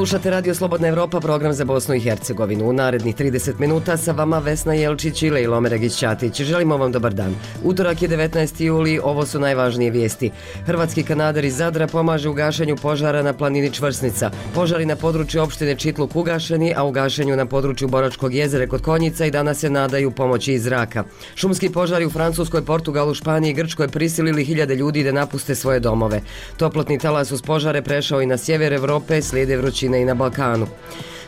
Slušate Radio Slobodna Evropa, program za Bosnu i Hercegovinu. U narednih 30 minuta sa vama Vesna Jelčić i Lejlo Ćatić. Želimo vam dobar dan. Utorak je 19. juli, ovo su najvažnije vijesti. Hrvatski kanader iz Zadra pomaže u gašenju požara na planini Čvrsnica. Požari na području opštine Čitluk ugašeni, a u gašenju na području Boračkog jezera kod Konjica i danas se nadaju pomoći iz zraka. Šumski požari u Francuskoj, Portugalu, Španiji i Grčkoj prisilili hiljade ljudi da napuste svoje domove. Toplotni talas uz požare prešao i na sjever Evrope, slijede vrućine i na Balkanu.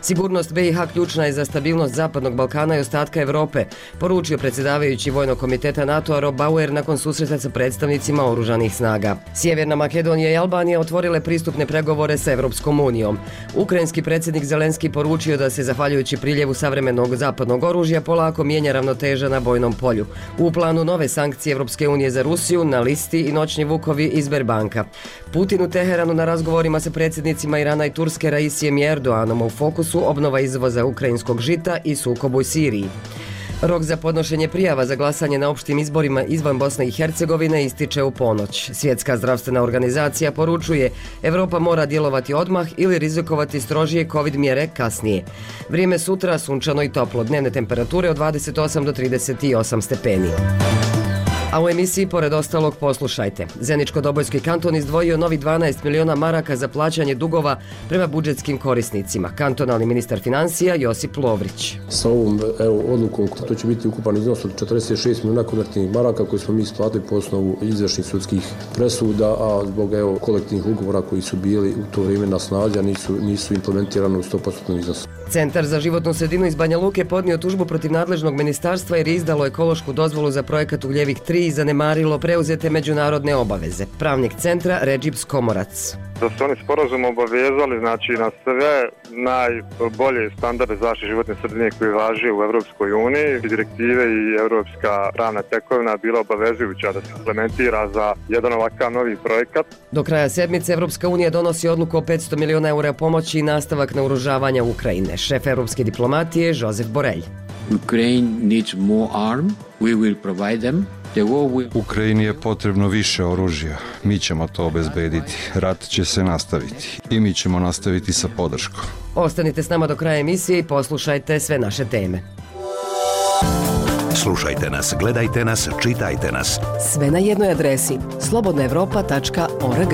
Sigurnost BiH ključna je za stabilnost Zapadnog Balkana i ostatka Evrope, poručio predsjedavajući Vojnog komiteta NATO-a Rob Bauer nakon susreta sa predstavnicima oružanih snaga. Sjeverna Makedonija i Albanija otvorile pristupne pregovore sa Evropskom unijom. Ukrajinski predsjednik Zelenski poručio da se, zahvaljujući priljevu savremenog zapadnog oružja, polako mijenja ravnoteža na bojnom polju. U planu nove sankcije Evropske unije za Rusiju, na listi i noćni vukovi iz Sberbanka. Putin u Teheranu na razgovorima sa predsjednicima Irana i Turske Raisijem i Erdoganom, u fokusu obnova izvoza ukrajinskog žita i sukob u Siriji. Rok za podnošenje prijava za glasanje na opštim izborima izvan Bosne i Hercegovine ističe u ponoć. Svjetska zdravstvena organizacija poručuje: Evropa mora djelovati odmah ili rizikovati strožije COVID mjere kasnije. Vrijeme sutra sunčano i toplo, dnevne temperature od 28 do 38 stepeni. A u emisiji pored ostalog poslušajte. Zeničko-Dobojski kanton izdvojio novi 12 miliona maraka za plaćanje dugova prema budžetskim korisnicima. Kantonalni ministar financija Josip Lovrić. Sa ovom odlukom to će biti ukupan iznos od 46 miliona konvertnih maraka koje smo mi isplatili po osnovu izvršnih sudskih presuda, a zbog kolektivnih ugovora koji su bili u to vrijeme na snazi, a nisu implementirani u 100% iznosu. Centar za životnu sredinu iz Banja Luke podnio tužbu protiv nadležnog ministarstva jer je izdalo ekološku dozvolu za projekat Ugljevik 3 i zanemarilo preuzete međunarodne obaveze. Pravnik centra Redžip Skomorac. Da su oni sporazum obavezali na sve najbolje standarde zaštite životne sredine koji važe u Evropskoj uniji. Direktive i evropska pravna tekovina bila obavezujuća da se implementira za jedan ovakav novi projekat. Do kraja sedmice Evropska unija donosi odluku o 500 miliona eura pomoći i nastavak naoružavanja Ukrajine. Šef evropske diplomatije Josef Borrell. Ukraine needs more arm. We will provide them. Ukrajini je potrebno više oružja. Mi ćemo to obezbediti. Rat će se nastaviti. I mi ćemo nastaviti sa podrškom. Ostanite s nama do kraja emisije i poslušajte sve naše teme. Slušajte nas, gledajte nas, čitajte nas. Sve na jednoj adresi: slobodnaevropa.org.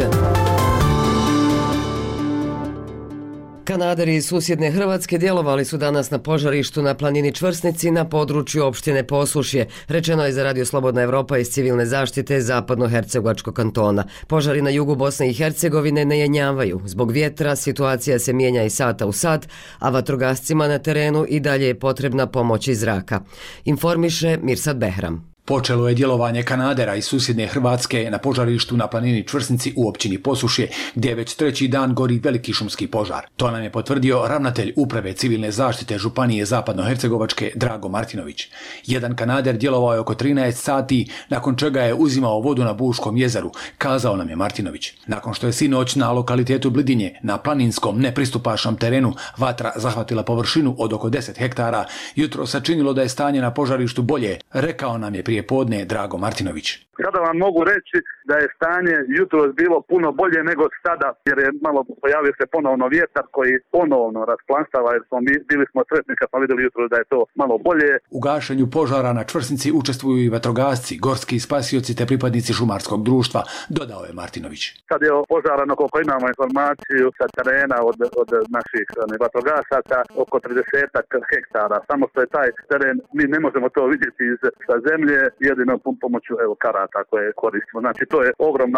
Kanaderi iz susjedne Hrvatske djelovali su danas na požarištu na planini Čvrsnici na području opštine Posušje. Rečeno je za Radio Slobodna Evropa iz civilne zaštite Zapadno-Hercegovačkog kantona. Požari na jugu Bosne i Hercegovine ne jenjavaju. Zbog vjetra situacija se mijenja iz sata u sat, a vatrogascima na terenu i dalje je potrebna pomoć iz zraka. Informiše Mirsad Behram. Počelo je djelovanje kanadera iz susjedne Hrvatske na požarištu na planini Čvrsnici u općini Posušje, gdje već treći dan gori veliki šumski požar. To nam je potvrdio ravnatelj Uprave civilne zaštite Županije Zapadno-Hercegovačke Drago Martinović. Jedan kanader djelovao je oko 13 sati, nakon čega je uzimao vodu na Buškom jezeru, kazao nam je Martinović. Nakon što je sinoć na lokalitetu Blidinje, na planinskom nepristupačnom terenu, vatra zahvatila površinu od oko 10 hektara, jutro sačinilo da je stanje na požarištu bolje, rekao nam je prije podne Drago Martinović. Sada vam mogu reći da je stanje jutros bilo puno bolje nego sada, jer je malo pojavio se ponovno vjetar koji ponovno rasplamsava, jer bili smo sretni kad smo vidjeli jutros da je to malo bolje. U gašenju požara na Čvrsnici učestvuju i vatrogasci, gorski spasioci te pripadnici šumarskog društva, dodao je Martinović. Sad je požarano, koliko imamo informaciju sa terena od naših vatrogasaca, oko 30 hektara. Samo što je taj teren, mi ne možemo to vidjeti sa zemlje, jedino pomoću karata koje koristimo. Znači to je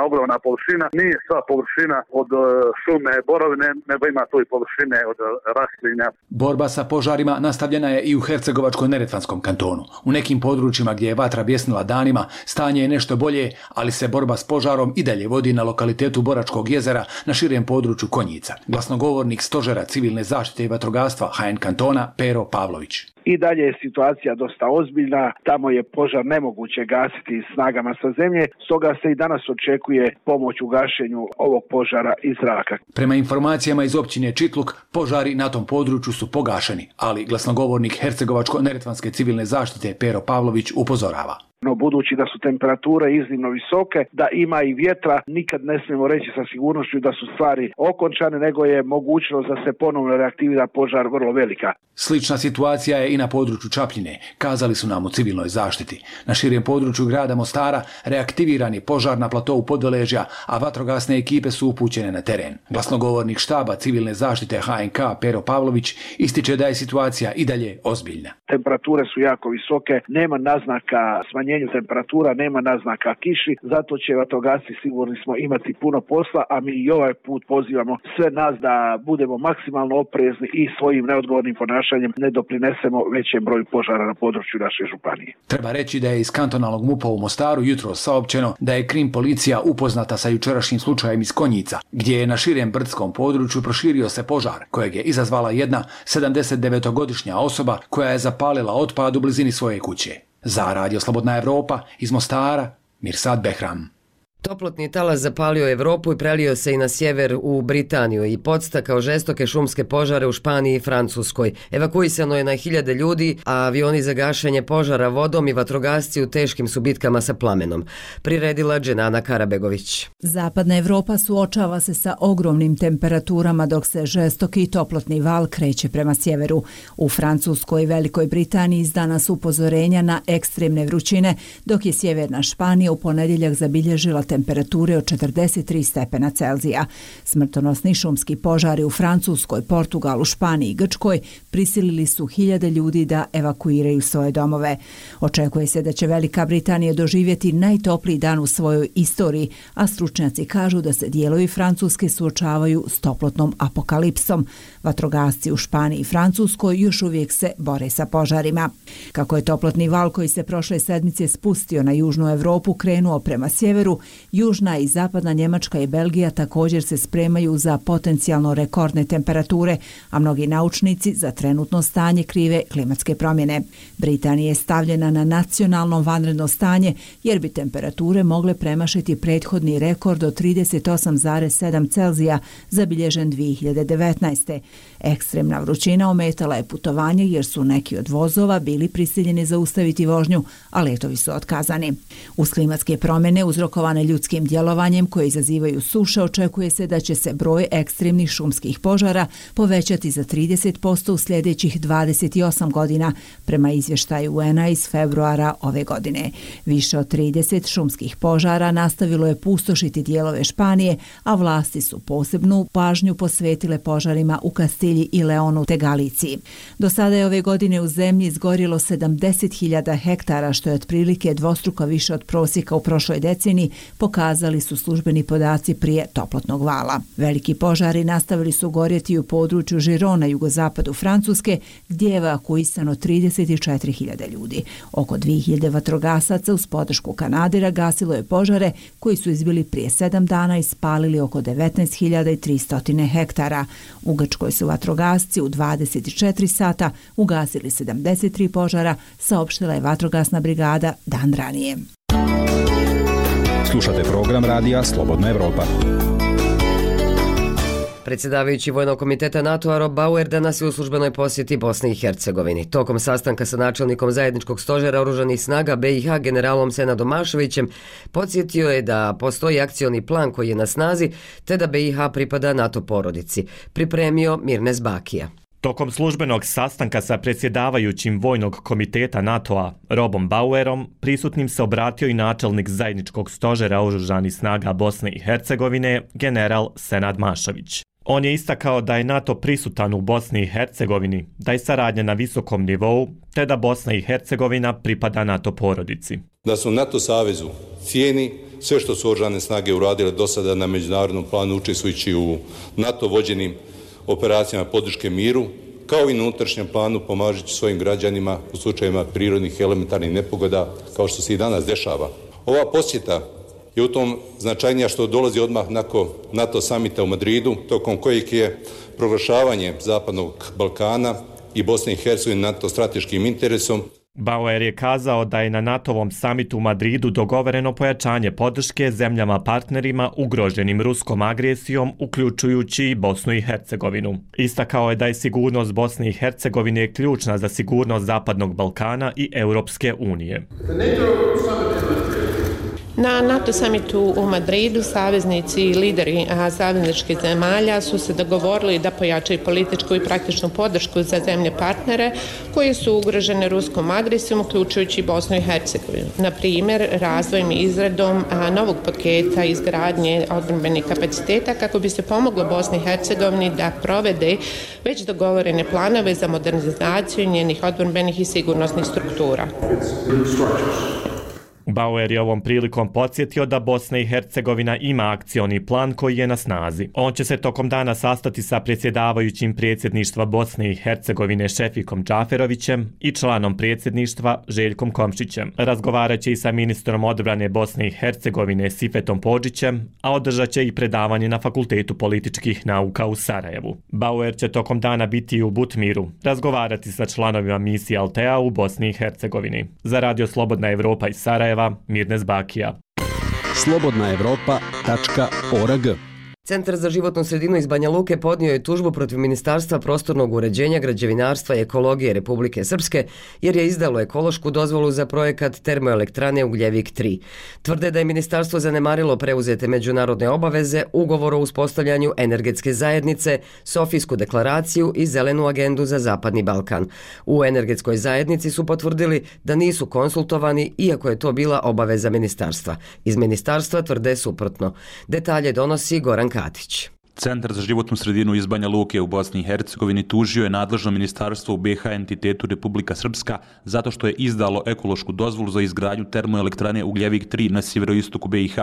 ogromna površina. Nije sva površina od šume borovine, nego ima tu i površine od raslinja. Borba sa požarima nastavljena je i u Hercegovačko-neretvanskom kantonu. U nekim područjima gdje je vatra bjesnila danima, stanje je nešto bolje, ali se borba s požarom i dalje vodi na lokalitetu Boračkog jezera na širem području Konjica. Glasnogovornik Stožera civilne zaštite i vatrogastva HN kantona Pero Pavlović. I dalje je situacija dosta ozbiljna, tamo je požar nemoguće gasiti snagama sa zemlje, stoga se i danas očekuje pomoć u gašenju ovog požara iz zraka. Prema informacijama iz općine Čitluk, požari na tom području su pogašeni, ali glasnogovornik Hercegovačko-neretvanske civilne zaštite Pero Pavlović upozorava. no budući da su temperature iznimno visoke, da ima i vjetra, nikad ne smijemo reći sa sigurnošću da su stvari okončane, nego je mogućnost da se ponovno reaktivira požar vrlo velika. Slična situacija je i na području Čapljine, kazali su nam u civilnoj zaštiti. Na širem području grada Mostara reaktiviran je požar na platovu Podveležja, a vatrogasne ekipe su upućene na teren. Glasnogovornik štaba civilne zaštite HNK Pero Pavlović ističe da je situacija i dalje ozbiljna. Temperature su jako visoke, nema naznaka smanjenju temperatura, nema naznaka kiši, zato će vatrogasci sigurni smo imati puno posla, a mi i ovaj put pozivamo sve nas da budemo maksimalno oprezni i svojim neodgovornim ponašanjem ne doprinesemo većem broju požara na području naše županije. Treba reći da je iz kantonalnog MUP-a u Mostaru jutros saopćeno da je krim policija upoznata sa jučerašnjim slučajem iz Konjica, gdje je na širem brdskom području proširio se požar kojeg je izazvala jedna 79-godišnja osoba koja je zapalila otpad u blizini svoje kuće. Za Radio Slobodna Evropa iz Mostara, Mirsad Behram. Toplotni talas zapalio Evropu i prelio se i na sjever u Britaniju i podstakao žestoke šumske požare u Španiji i Francuskoj. Evakuisano je na hiljade ljudi, a avioni za gašenje požara vodom i vatrogasci u teškim su bitkama sa plamenom. Priredila Dženana Karabegović. Zapadna Evropa suočava se sa ogromnim temperaturama dok se žestoki toplotni val kreće prema sjeveru. U Francuskoj i Velikoj Britaniji izdana su upozorenja na ekstremne vrućine, dok je sjeverna Španija u ponedjeljak zabilježila temperature od 43 stepena Celzija. Smrtonosni šumski požari u Francuskoj, Portugalu, Španiji i Grčkoj prisilili su hiljade ljudi da evakuiraju svoje domove. Očekuje se da će Velika Britanija doživjeti najtopliji dan u svojoj istoriji, a stručnjaci kažu da se dijelovi Francuske suočavaju s toplotnom apokalipsom. Vatrogasci u Španiji i Francuskoj još uvijek se bore sa požarima. Kako je toplotni val koji se prošle sedmice spustio na južnu Evropu krenuo prema sjeveru, južna i zapadna Njemačka i Belgija također se spremaju za potencijalno rekordne temperature, a mnogi naučnici za trenutno stanje krive klimatske promjene. Britanija je stavljena na nacionalno vanredno stanje jer bi temperature mogle premašiti prethodni rekord od 38,7 Celzija zabilježen 2019. Ekstremna vrućina ometala je putovanje jer su neki od vozova bili prisiljeni zaustaviti vožnju, a letovi su otkazani. Uz klimatske promjene uzrokovane ljudskim djelovanjem koje izazivaju suše, očekuje se da će se broj ekstremnih šumskih požara povećati za 30% u sljedećih 28 godina, prema izvještaju UN-a iz februara ove godine. Više od 30 šumskih požara nastavilo je pustošiti dijelove Španije, a vlasti su posebnu pažnju posvetile požarima u Kastilji i Leonu te Galiciji. Do sada je ove godine u zemlji izgorilo 70.000 hektara, što je otprilike dvostruko više od prosjeka u prošloj deceniji, pokazali su službeni podaci prije toplotnog vala. Veliki požari nastavili su gorjeti u području Žirona, jugozapadu Francuske, gdje je evakuisano 34.000 ljudi. Oko 2.000 vatrogasaca uz podršku Kanadera gasilo je požare koji su izbili prije 7 dana i spalili oko 19.300 hektara. U Grčkoj su vatrogasci u 24 sata ugasili 73 požara, saopštila je vatrogasna brigada dan ranije. Slušate program radija Slobodna Evropa. Predsjedavajući Vojnog komiteta NATO-a Rob Bauer danas je u službenoj posjeti Bosni i Hercegovini. Tokom sastanka sa načelnikom zajedničkog stožera oružanih snaga BiH generalom Senadom Mašovićem podsjetio je da postoji akcioni plan koji je na snazi te da BiH pripada NATO porodici. Pripremio Mirnes Bakija. Tokom službenog sastanka sa predsjedavajućim Vojnog komiteta NATO-a Robom Bauerom prisutnim se obratio i načelnik zajedničkog stožera oružanih snaga Bosne i Hercegovine general Senad Mašović. On je istakao da je NATO prisutan u Bosni i Hercegovini, da je saradnja na visokom nivou, te da Bosna i Hercegovina pripada NATO porodici. Da su NATO savezu cijeni sve što su oružane snage uradile do sada na međunarodnom planu učestvujući u NATO vođenim operacijama podrške miru, kao i na unutrašnjem planu pomažući svojim građanima u slučajevima prirodnih i elementarnih nepogoda, kao što se i danas dešava. Ova posjeta je u tom značajnija što dolazi odmah nakon NATO samita u Madridu, tokom kojeg je proglašavanje Zapadnog Balkana i Bosne i Hercegovine NATO strateškim interesom. Bauer je kazao da je na NATO-vom samitu u Madridu dogovoreno pojačanje podrške zemljama partnerima ugroženim ruskom agresijom, uključujući i Bosnu i Hercegovinu. Istakao je da je sigurnost Bosne i Hercegovine ključna za sigurnost Zapadnog Balkana i Europske unije. Na NATO samitu u Madridu saveznici i lideri savezničkih zemalja su se dogovorili da pojačaju političku i praktičnu podršku za zemlje partnere koje su ugrožene ruskom agresijom, uključujući Bosnu i Hercegovinu. Na primjer, razvojem i izradom novog paketa izgradnje odbrambenih kapaciteta kako bi se pomoglo Bosni i Hercegovini da provede već dogovorene planove za modernizaciju njenih odbrambenih i sigurnosnih struktura. Bauer je ovom prilikom podsjetio da Bosna i Hercegovina ima akcioni plan koji je na snazi. On će se tokom dana sastati sa predsjedavajućim predsjedništva Bosne i Hercegovine Šefikom Džaferovićem i članom predsjedništva Željkom Komšićem. Razgovarat će i sa ministrom odbrane Bosne i Hercegovine Sifetom Podžićem, a održat će i predavanje na Fakultetu političkih nauka u Sarajevu. Bauer će tokom dana biti u Butmiru, razgovarati sa članovima misije Altea u Bosni i Hercegovini. Za Radio Slobodna Evropa iz Sarajeva, Mirnes Bakija. slobodnaevropa.org. Centar za životnu sredinu iz Banja Luke podnio je tužbu protiv Ministarstva prostornog uređenja, građevinarstva i ekologije Republike Srpske jer je izdalo ekološku dozvolu za projekat termoelektrane Ugljevik 3. Tvrde da je ministarstvo zanemarilo preuzete međunarodne obaveze, ugovor o uspostavljanju energetske zajednice, Sofijsku deklaraciju i zelenu agendu za Zapadni Balkan. U energetskoj zajednici su potvrdili da nisu konsultovani, iako je to bila obaveza ministarstva. Iz ministarstva tvrde suprotno. Detalje donosi Goran Katić. Centar za životnu sredinu iz Banja Luke u Bosni i Hercegovini tužio je nadležno ministarstvo u BiH entitetu Republika Srpska zato što je izdalo ekološku dozvolu za izgradnju termoelektrane Ugljevik 3 na sjeveroistoku BiH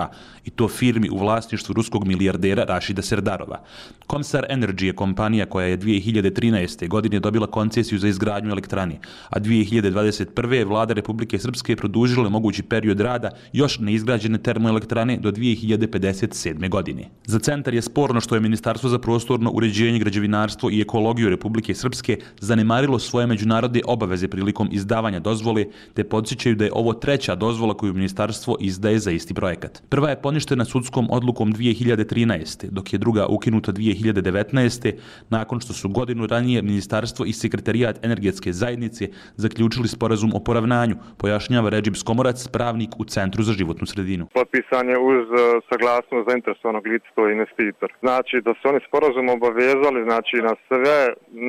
i to firmi u vlasništvu ruskog milijardera Rašida Serdarova. Komsar Energy je kompanija koja je 2013. godine dobila koncesiju za izgradnju elektrane, a 2021. je vlada Republike Srpske produžila mogući period rada još neizgrađene termoelektrane do 2057. godine. Za centar je sporno što je Ministarstvo za prostorno uređenje, građevinarstvo i ekologiju Republike Srpske zanemarilo svoje međunarodne obaveze prilikom izdavanja dozvole, te podsjećaju da je ovo treća dozvola koju ministarstvo izdaje za isti projekat. Prva je poništena sudskom odlukom 2013. dok je druga ukinuta 2019. nakon što su godinu ranije ministarstvo i sekretarijat energetske zajednice zaključili sporazum o poravnanju, pojašnjava Redžib Skomorac, pravnik u Centru za životnu sredinu. Potpisan je uz saglasnost zainteresovanog lica, to je investitor. Znači da su oni sporazum obavezali na sve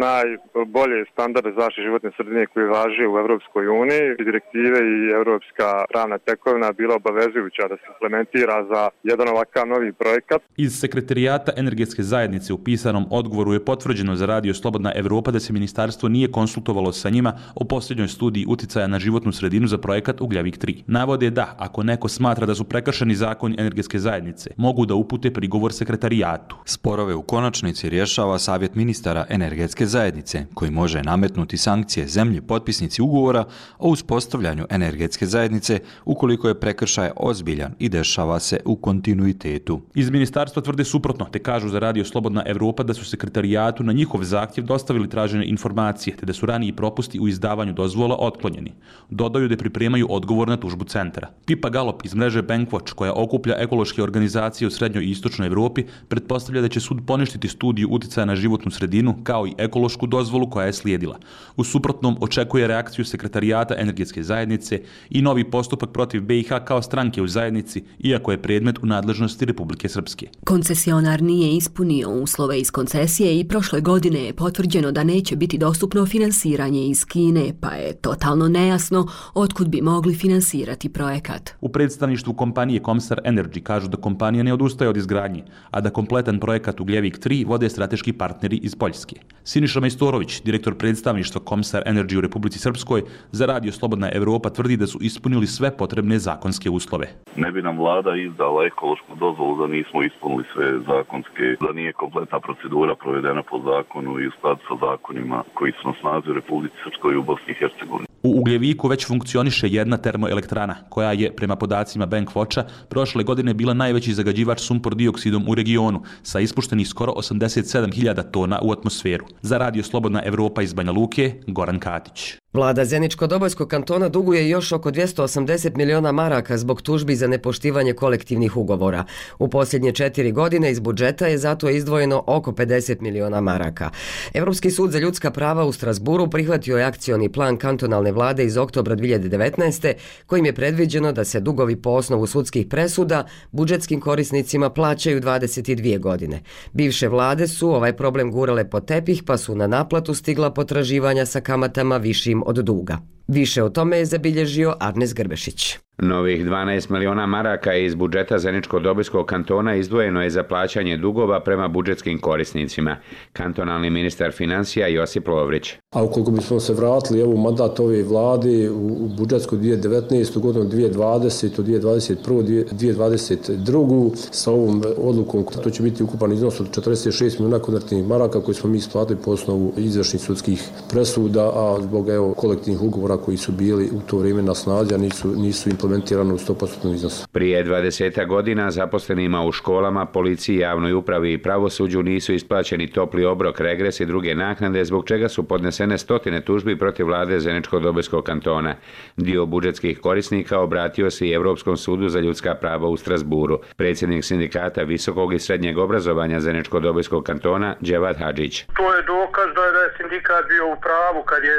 najbolje standarde zaštite životne sredine koji važe u Europskoj uniji. Direktive i europska pravna tekovina bila obavezujuća da se implementira za jedan ovakav novi projekat. Iz sekretarijata energetske zajednice u pisanom odgovoru je potvrđeno za Radio Slobodna Evropa da se ministarstvo nije konsultovalo sa njima o posljednjoj studiji uticaja na životnu sredinu za projekat Ugljevik 3. Navode da, ako neko smatra da su prekršeni zakoni energetske zajednice, mogu da upute prigovor sekretarijatu. Sporove u konačnici rješava Savjet ministara energetske zajednice, koji može nametnuti sankcije zemlji potpisnici ugovora o uspostavljanju energetske zajednice ukoliko je prekršaj ozbiljan i dešava se u kontinuitetu. Iz ministarstva tvrde suprotno, te kažu za Radio Slobodna Evropa da su sekretarijatu na njihov zahtjev dostavili tražene informacije, te da su raniji propusti u izdavanju dozvola otklonjeni. Dodaju da pripremaju odgovor na tužbu centra. Pipa Galop iz mreže Bankwatch, koja okuplja ekološke organizacije u srednjoj i istočnoj Evropi, pretpostavlja da će sud poništiti studiju uticaja na životnu sredinu kao i ekološku dozvolu koja je slijedila. U suprotnom očekuje reakciju sekretarijata energetske zajednice i novi postupak protiv BiH kao stranke u zajednici, iako je predmet u nadležnosti Republike Srpske. Koncesionar nije ispunio uslove iz koncesije i prošle godine je potvrđeno da neće biti dostupno finansiranje iz Kine, pa je totalno nejasno otkud bi mogli finansirati projekat. U predstavništvu kompanije Komsar Energy kažu da kompanija ne odustaje od izgradnje, a da kompletan projekat Ugljevik 3 vode strateški partneri iz Poljske. Siniša Majstorović, direktor predstavništva Komsar Energy u Republici Srpskoj, za Radio Slobodna Evropa tvrdi da su ispunili sve potrebne zakonske uslove. Ne bi nam vlada izdala ekološku dozvolu da nismo ispunili sve zakonske, da nije kompletna procedura provedena po zakonu i u skladu sa zakonima koji su na snazi u Republici Srpskoj i u Bosni i Hercegovini. U Ugljeviku već funkcioniše jedna termoelektrana, koja je, prema podacima Bankwatcha, prošle godine bila najveći zagađivač sumpor dioksidom u regionu, sa ispuštenih skoro 87.000 tona u atmosferu. Za Radio Slobodna Evropa iz Banja Luke, Goran Katić. Vlada Zeničko-Dobojskog kantona duguje još oko 280 miliona maraka zbog tužbi za nepoštivanje kolektivnih ugovora. U posljednje 4 godine iz budžeta je zato izdvojeno oko 50 miliona maraka. Europski sud za ljudska prava u Strasburu prihvatio je akcioni plan kantonalne vlade iz oktobra 2019. kojim je predviđeno da se dugovi po osnovu sudskih presuda budžetskim korisnicima plaćaju 22 godine. Bivše vlade su ovaj problem gurale pod tepih pa su na naplatu stigla potraživanja sa kamatama višim od duga. Više o tome je zabilježio Arnes Grbešić. Novih 12 miliona maraka iz budžeta Zeničko-Dobojskog kantona izdvojeno je za plaćanje dugova prema budžetskim korisnicima. Kantonalni ministar financija Josip Lovrić. A ukoliko bismo se vratili u mandat ove vlade u budžetsku 2019. godinu 2020. 2021. 2022. sa ovom odlukom, to će biti ukupan iznos od 46 miliona konvertnih maraka koji smo mi isplatili po osnovu izvršnih sudskih presuda, a zbog kolektivnih ugovora koji su bili u to vrijeme na snazi, a nisu implementirano u 100% iznosu. Prije 20 godina zaposlenima u školama, policiji, javnoj upravi i pravosuđu nisu isplaćeni topli obrok, regres i druge naknade, zbog čega su podnesene stotine tužbi protiv vlade Zeničko-Dobojskog kantona. Dio budžetskih korisnika obratio se i Europskom sudu za ljudska prava u Strasburu. Predsjednik sindikata visokog i srednjeg obrazovanja Zeničko-Dobojskog kantona Dževat Hadžić. To je dokaz da je sindikat bio u pravu kad je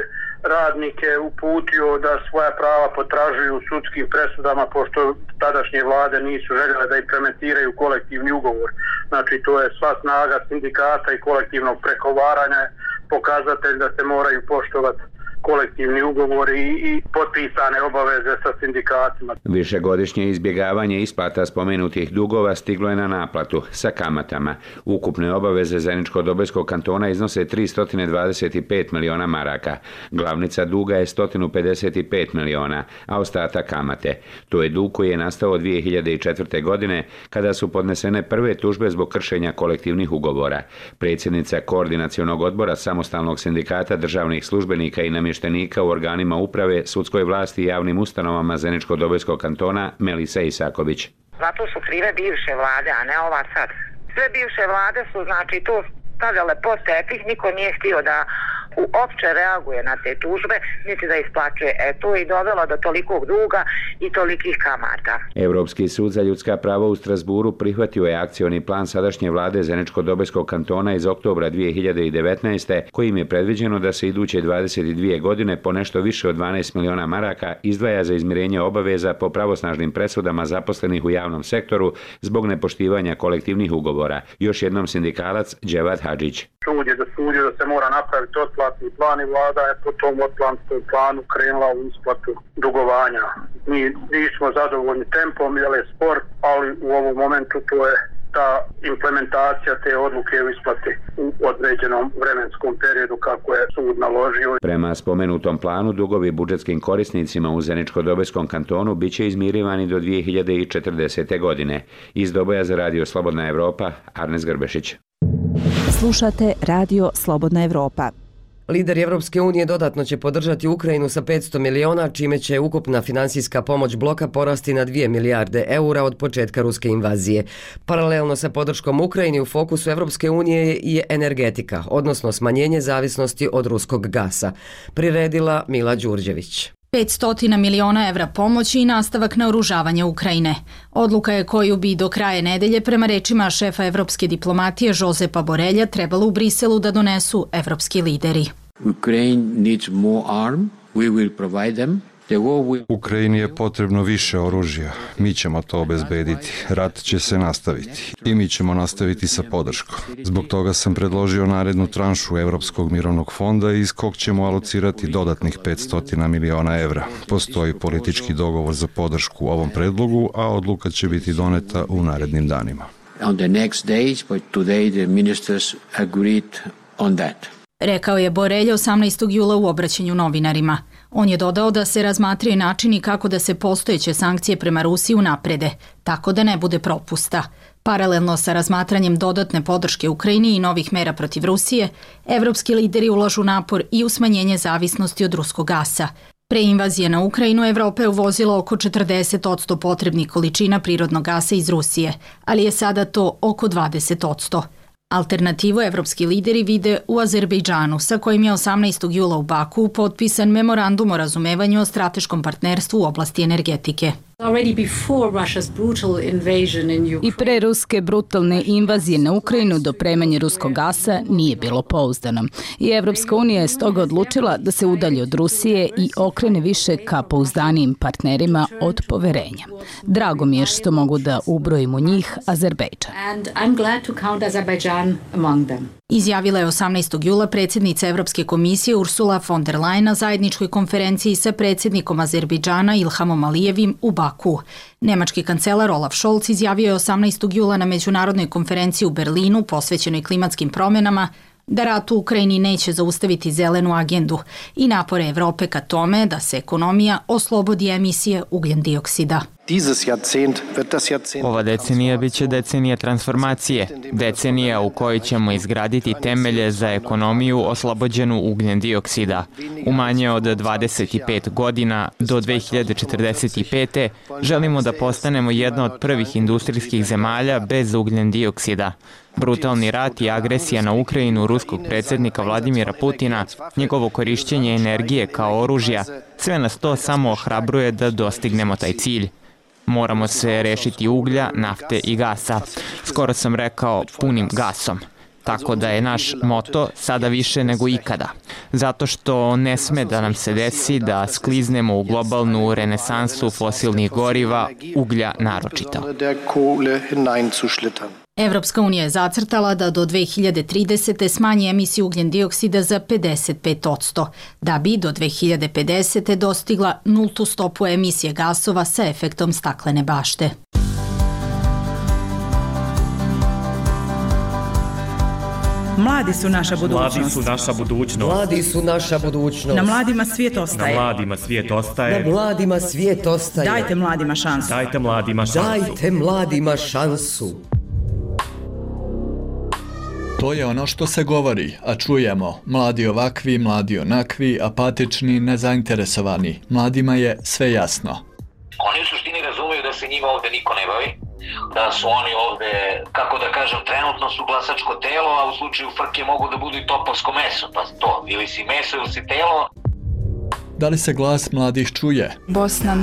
radnike uputio da svoja prava potražuju u sudskim presudama, pošto tadašnje vlade nisu željele da implementiraju kolektivni ugovor. Znači, to je sva snaga sindikata i kolektivnog pregovaranja, pokazatelj da se moraju poštovati kolektivni ugovori i potpisane obaveze sa sindikatima. Višegodišnje izbjegavanje isplata spomenutih dugova stiglo je na naplatu sa kamatama. Ukupne obaveze Zeničko-Dobojskog kantona iznose 325 miliona maraka. Glavnica duga je 155 miliona, a ostatak kamate. To je dug koji je nastao 2004. godine kada su podnesene prve tužbe zbog kršenja kolektivnih ugovora. Predsjednica koordinacionog odbora samostalnog sindikata državnih službenika i namještenika u organima uprave, sudskoj vlasti i javnim ustanovama Zeničko-Dobojskog kantona Melisa Isaković. Zato su krive bivše vlade, a ne ova sad. Sve bivše vlade su, znači, to stavljale pod tepih, niko nije htio da uopće reaguje na te tužbe, niti da isplaćuje. To je i dovelo do tolikog duga i tolikih kamata. Europski sud za ljudska prava u Strasburu prihvatio je akcioni plan sadašnje vlade Zeničko-Dobojskog kantona iz oktobra 2019. kojim je predviđeno da se iduće 22 godine po nešto više od 12 miliona maraka izdvaja za izmirenje obaveza po pravosnažnim presudama zaposlenih u javnom sektoru zbog nepoštivanja kolektivnih ugovora. Još jednom sindikalac Dževat Hadžić. Sud je dosudio da se mora napraviti otplatni plan i vlada je po tom otplatnom planu krenula u isplatu dugovanja. Mi nismo zadovoljni tempom, jer je spor, ali u ovom momentu to je ta implementacija te odluke u isplati u određenom vremenskom periodu kako je sud naložio. Prema spomenutom planu, dugovi budžetskim korisnicima u Zeničko-Dobojskom kantonu biće izmirivani do 2040. godine. Iz Doboja za Radio Slobodna Evropa, Arnes Grbešić. Slušate Radio Slobodna Evropa. Lideri Evropske unije dodatno će podržati Ukrajinu sa 500 miliona, čime će ukupna finansijska pomoć bloka porasti na 2 milijarde eura od početka ruske invazije. Paralelno sa podrškom Ukrajini u fokusu Evropske unije je energetika, odnosno smanjenje zavisnosti od ruskog gasa. Priredila Mila Đurđević. 500 miliona evra pomoći i nastavak naoružavanja Ukrajine. Odluka je koju bi do kraja nedelje, prema rečima šefa evropske diplomatije Josepa Borelja, trebalo u Briselu da donesu evropski lideri. Ukraine needs more arm. We will provide them. Ukrajini je potrebno više oružja. Mi ćemo to obezbediti. Rat će se nastaviti. I mi ćemo nastaviti sa podrškom. Zbog toga sam predložio narednu tranšu Evropskog mirovnog fonda iz kog ćemo alocirati dodatnih 500 miliona evra. Postoji politički dogovor za podršku ovom predlogu, a odluka će biti doneta u narednim danima. On the next days, but today the ministers agreed on that. Rekao je Borelj 18. jula u obraćanju novinarima. On je dodao da se razmatraju načini kako da se postojeće sankcije prema Rusiji unaprede, tako da ne bude propusta. Paralelno sa razmatranjem dodatne podrške Ukrajini i novih mera protiv Rusije, evropski lideri ulažu napor i u smanjenje zavisnosti od ruskog gasa. Pre invazije na Ukrajinu, Evropa je uvozila oko 40% potrebnih količina prirodnog gasa iz Rusije, ali je sada to oko 20%. Alternativu evropski lideri vide u Azerbejdžanu, sa kojim je 18. jula u Baku potpisan memorandum o razumevanju o strateškom partnerstvu u oblasti energetike. I pre ruske brutalne invazije na Ukrajinu dopremanje ruskog gasa nije bilo pouzdano. I Evropska unija je stoga odlučila da se udalji od Rusije i okrene više ka pouzdanijim partnerima od poverenja. Drago mi je što mogu da ubrojim u njih Azerbejdžan. Izjavila je 18. jula predsjednica Evropske komisije Ursula von der Leyen na zajedničkoj konferenciji sa predsjednikom Azerbejdžana Ilhamom Alijevim u Baku. Nemački kancelar Olaf Scholz izjavio je 18. jula na međunarodnoj konferenciji u Berlinu posvećenoj klimatskim promjenama da rat u Ukrajini neće zaustaviti zelenu agendu i napore Evrope ka tome da se ekonomija oslobodi emisije ugljendioksida. Ova decenija biće decenija transformacije, decenija u kojoj ćemo izgraditi temelje za ekonomiju oslobođenu ugljendioksida. U manje od 25 godina do 2045. želimo da postanemo jedna od prvih industrijskih zemalja bez ugljendioksida. Brutalni rat i agresija na Ukrajinu ruskog predsjednika Vladimira Putina, njegovo korišćenje energije kao oružja, sve nas to samo ohrabruje da dostignemo taj cilj. Moramo se rešiti uglja, nafte i gasa. Skoro sam rekao punim gasom. Tako da je naš moto sada više nego ikada. Zato što ne sme da nam se desi da skliznemo u globalnu renesansu fosilnih goriva, uglja naročito. Evropska unija je zacrtala da do 2030. smanji emisiju ugljendioksida za 55%, da bi do 2050. dostigla nultu stopu emisije gasova sa efektom staklene bašte. Mladi su naša budućnost. Mladi su naša budućnost. Mladi su naša budućnost. Na mladima svijet ostaje. Na mladima svijet ostaje. Na mladima svijet ostaje. Dajte mladima šansu. Dajte mladima šansu. Dajte mladima šansu. To je ono što se govori, a čujemo. Mladi ovakvi, mladi onakvi, apatični, nezainteresovani. Mladima je sve jasno. Oni u suštini razumiju da se njima ovde niko ne bavi, da su oni ovde, kako da kažem, trenutno su glasačko telo, a u slučaju frke mogu da budu i topovsko meso, pa to, ili si meso ili si telo. Da li se glas mladih čuje? Bosna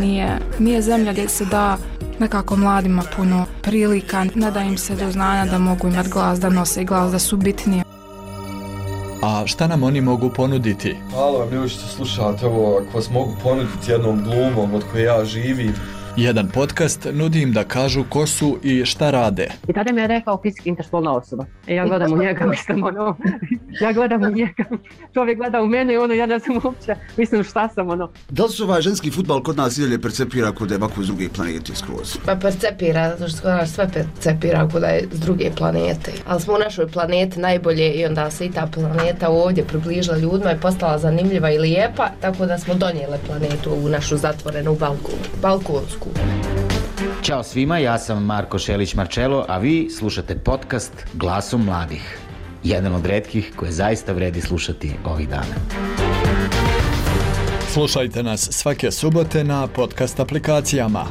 nije zemlja gdje se da nekako mladima puno prilika, ne da im se do znanja da mogu imati glas, da nose glas, da su bitnije. A šta nam oni mogu ponuditi? Hvala vam ljudi što slušate ovo, ako vas mogu ponuditi jednom glumom od koje ja živim. Jedan podcast nudi im da kažu ko su i šta rade. I tada mi je rekao fizički interspolna osoba. Ja gledam u njega, mislim ja gledam u njega. Čovjek gleda u mene i ja ne znam uopće, mislim šta sam Da li se ovaj ženski fudbal kod nas idalje percepira kod da je ovako iz druge planete skroz? Pa percepira, zato što sve percepira kod da je s druge planete. Ali smo u našoj planeti najbolje i onda se i ta planeta ovdje približila ljudima i postala zanimljiva i lijepa, tako da smo donijele planetu u našu zatvorenu balkonsku. Ćao svima, ja sam Marko Šelić-Marčelo, a vi slušate podcast Glasom mladih. Jedan od retkih koje zaista vredi slušati ovih dana. Slušajte nas svake subote na podcast aplikacijama.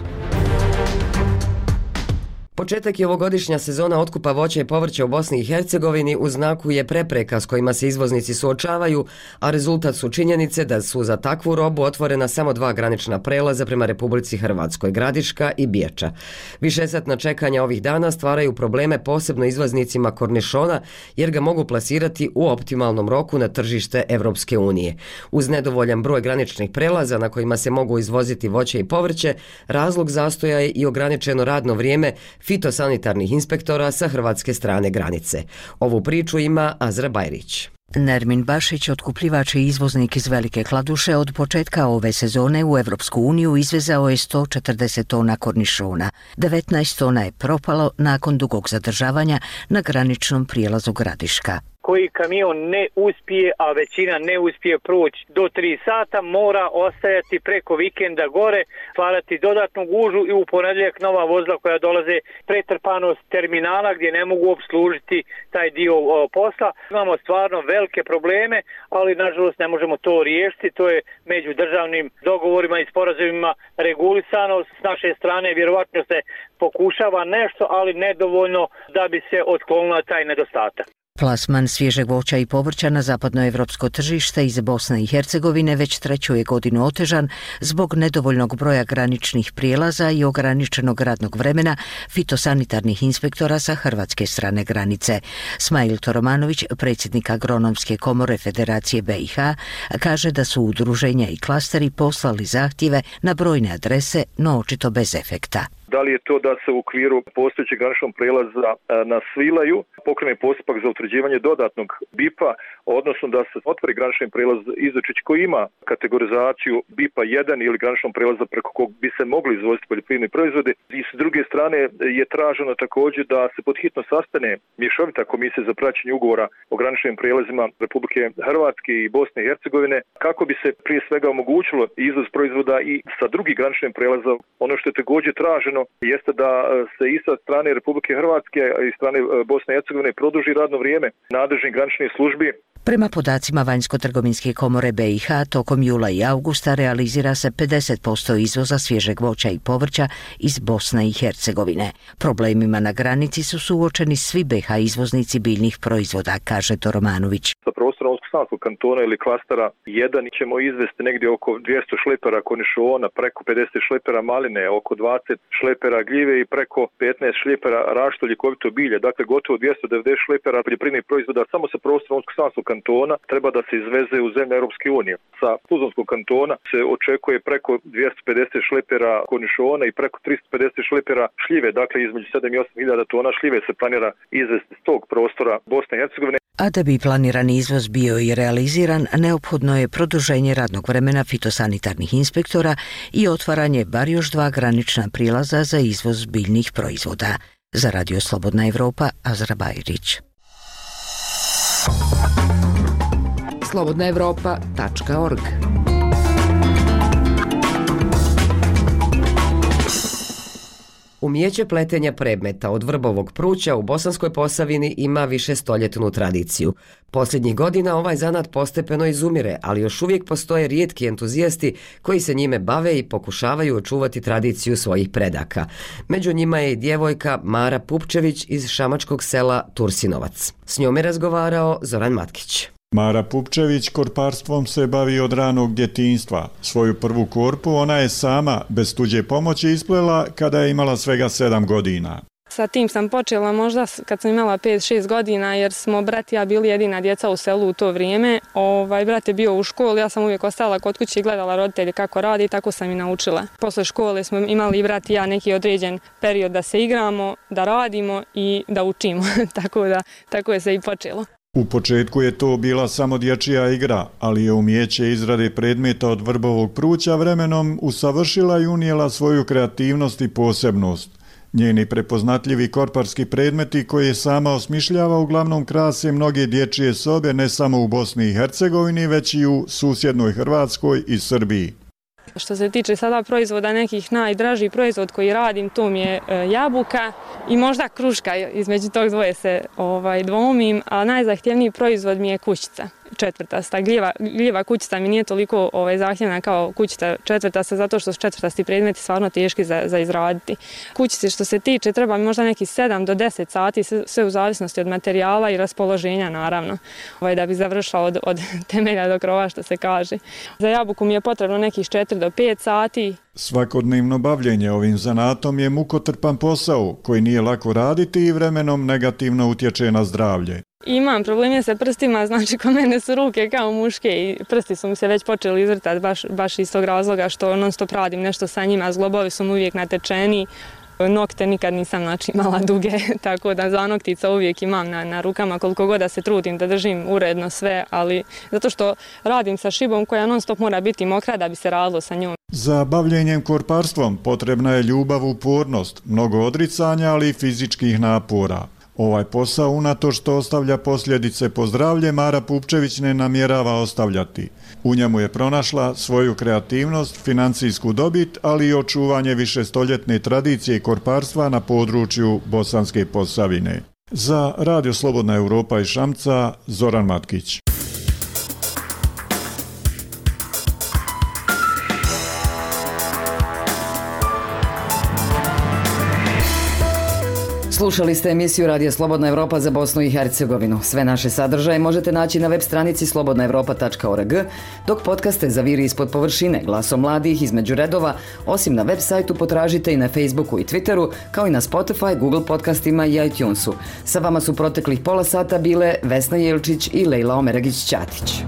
Početak je ovogodišnja sezona otkupa voća i povrća u Bosni i Hercegovini u znaku je prepreka s kojima se izvoznici suočavaju, a rezultat su činjenice da su za takvu robu otvorena samo 2 granična prelaza prema Republici Hrvatskoj, Gradiška i Biječa. Višesatna čekanja ovih dana stvaraju probleme posebno izvoznicima kornišona jer ga mogu plasirati u optimalnom roku na tržište Evropske unije. Uz nedovoljan broj graničnih prelaza na kojima se mogu izvoziti voće i povrće, razlog zastoja je i ograničeno radno vrijeme fitosanitarnih inspektora sa hrvatske strane granice. Ovu priču ima Azra Bajrić. Nermin Bašić, otkupljivač i izvoznik iz Velike Kladuše, od početka ove sezone u Evropsku uniju izvezao je 140 tona kornišona. 19 tona je propalo nakon dugog zadržavanja na graničnom prijelazu Gradiška. koji kamion ne uspije, a većina ne uspije proći do 3 sata, mora ostajati preko vikenda gore, stvarati dodatnu gužu i u ponedjeljak nova vozila koja dolaze pretrpanost terminala gdje ne mogu obslužiti taj dio posla. Imamo stvarno velike probleme, ali nažalost ne možemo to riješiti. To je među državnim dogovorima i sporazumima regulisano. S naše strane vjerovatno se pokušava nešto, ali nedovoljno da bi se otklonila taj nedostatak. Plasman svježeg voća i povrća na zapadnoevropsko tržište iz Bosne i Hercegovine već treću je godinu otežan zbog nedovoljnog broja graničnih prijelaza i ograničenog radnog vremena fitosanitarnih inspektora sa hrvatske strane granice. Smail Toromanović, predsjednik Agronomske komore Federacije BiH, kaže da su udruženja i klasteri poslali zahtjeve na brojne adrese, no očito bez efekta. Da li je to da se u okviru postojećeg graničnog prijelaza na Svilaju pokrene postupak za utvrđivanje dodatnog BIP-a, odnosno da se otvori granični prijelaz Izočić koji ima kategorizaciju BIP-a 1 ili graničnog prijelaza preko kog bi se mogli izvoziti poljoprivredni proizvodi. I s druge strane je traženo također da se podhitno sastane mješovita komisija za praćenje ugovora o graničnim prijelazima Republike Hrvatske i Bosne i Hercegovine kako bi se prije svega omogućilo izvoz proizvoda i sa drugih graničnih prijelaza. Ono što je također traženo jeste da se i sa strane Republike Hrvatske i strane Bosne i Hercegovine produži radno vrijeme nadležnih graničnih službi. Prema podacima Vanjsko-trgovinske komore BiH, tokom jula i augusta realizira se 50% izvoza svježeg voća i povrća iz Bosne i Hercegovine. Problemima na granici su suočeni svi BiH izvoznici biljnih proizvoda, kaže Toromanović. Sa prostorom Unsko-Sanskog kantona ili klastera 1 ćemo izvesti negdje oko 200 šlepera konišona, preko 50 šlepera maline, oko 20 šlepera gljive i preko 15 šlepera rašto ljekovito bilje. Dakle, gotovo 290 šlepera poljoprivrednih proizvoda samo sa prostorom Unsko-Sanskog kantona treba da se izveze u zemlje Europske unije. Sa Tuzlanskog kantona se očekuje preko 250 šlepera konišona i preko 350 šlepera šljive. Dakle, između 7 i 8 hiljada tona šljive se planira izvesti s tog prostora Bosne i Hercegovine. A da bi planirani izvoz bio i realiziran, neophodno je produženje radnog vremena fitosanitarnih inspektora i otvaranje bar još 2 granična prijelaza za izvoz biljnih proizvoda. Za Radio Slobodna Evropa, Azra Bajrić. slobodnaevropa.org. Umijeće pletenja predmeta od vrbovog pruća u Bosanskoj Posavini ima višestoljetnu tradiciju. Posljednjih godina ovaj zanat postepeno izumire, ali još uvijek postoje rijetki entuzijasti koji se njime bave i pokušavaju očuvati tradiciju svojih predaka. Među njima je i djevojka Mara Pupčević iz šamačkog sela Tursinovac. S njom je razgovarao Zoran Matkić. Mara Pupčević korparstvom se bavi od ranog djetinjstva. Svoju prvu korpu ona je sama, bez tuđe pomoći, isplela kada je imala svega 7 godina. Sa tim sam počela možda kad sam imala 5-6 godina jer smo brat i ja bili jedina djeca u selu u to vrijeme. Brat je bio u školi, ja sam uvijek ostala kod kuće i gledala roditelje kako radi i tako sam i naučila. Posle škole smo imali i brat i ja neki određen period da se igramo, da radimo i da učimo. Tako je se i počelo. U početku je to bila samo dječja igra, ali je umijeće izrade predmeta od vrbovog pruća vremenom usavršila i unijela svoju kreativnost i posebnost. Njeni prepoznatljivi korparski predmeti koje sama osmišljava uglavnom krase mnoge dječje sobe ne samo u Bosni i Hercegovini, već i u susjednoj Hrvatskoj i Srbiji. Što se tiče sada proizvoda, nekih najdraži proizvod koji radim, to mi je jabuka i možda kruška, između tog dvoje se dvomim, a najzahtjevniji proizvod mi je kućica. Četvrtasta. Gljiva kućica mi nije toliko zahtjevna kao kućica četvrtasta, zato što su četvrtasti predmeti stvarno teški za izraditi. Kućice što se tiče treba mi možda neki 7 do 10 sati, sve u zavisnosti od materijala i raspoloženja naravno, da bi završila od temelja do krova što se kaže. Za jabuku mi je potrebno nekih 4 do 5 sati. Svakodnevno bavljenje ovim zanatom je mukotrpan posao koji nije lako raditi i vremenom negativno utječe na zdravlje. Imam probleme sa prstima, znači kod mene su ruke kao muške i prsti su mi se već počeli izvrtati baš iz tog razloga što non stop radim nešto sa njima, zglobovi su mi uvijek natečeni, nokte nikad nisam imala duge, tako da zanoktica uvijek imam na rukama koliko god da se trudim da držim uredno sve, ali zato što radim sa šibom koja non stop mora biti mokra da bi se radilo sa njom. Za bavljenjem korparstvom potrebna je ljubav, upornost, mnogo odricanja, ali i fizičkih napora. Ovaj posao, unatoč što ostavlja posljedice po zdravlje, Mara Pupčević ne namjerava ostavljati. U njemu je pronašla svoju kreativnost, financijsku dobit, ali i očuvanje višestoljetne tradicije korparstva na području Bosanske Posavine. Za Radio Slobodna Europa iz Šamca, Zoran Matkić. Slušali ste emisiju Radija Slobodna Evropa za Bosnu i Hercegovinu. Sve naše sadržaje možete naći na web stranici slobodnaevropa.org, dok podcaste za Viri ispod površine, Glasom mladih između redova, osim na web sajtu potražite i na Facebooku i Twitteru, kao i na Spotify, Google podcastima i iTunesu. Sa vama su proteklih pola sata bile Vesna Jelčić i Lejla Omeragić-Ćatić.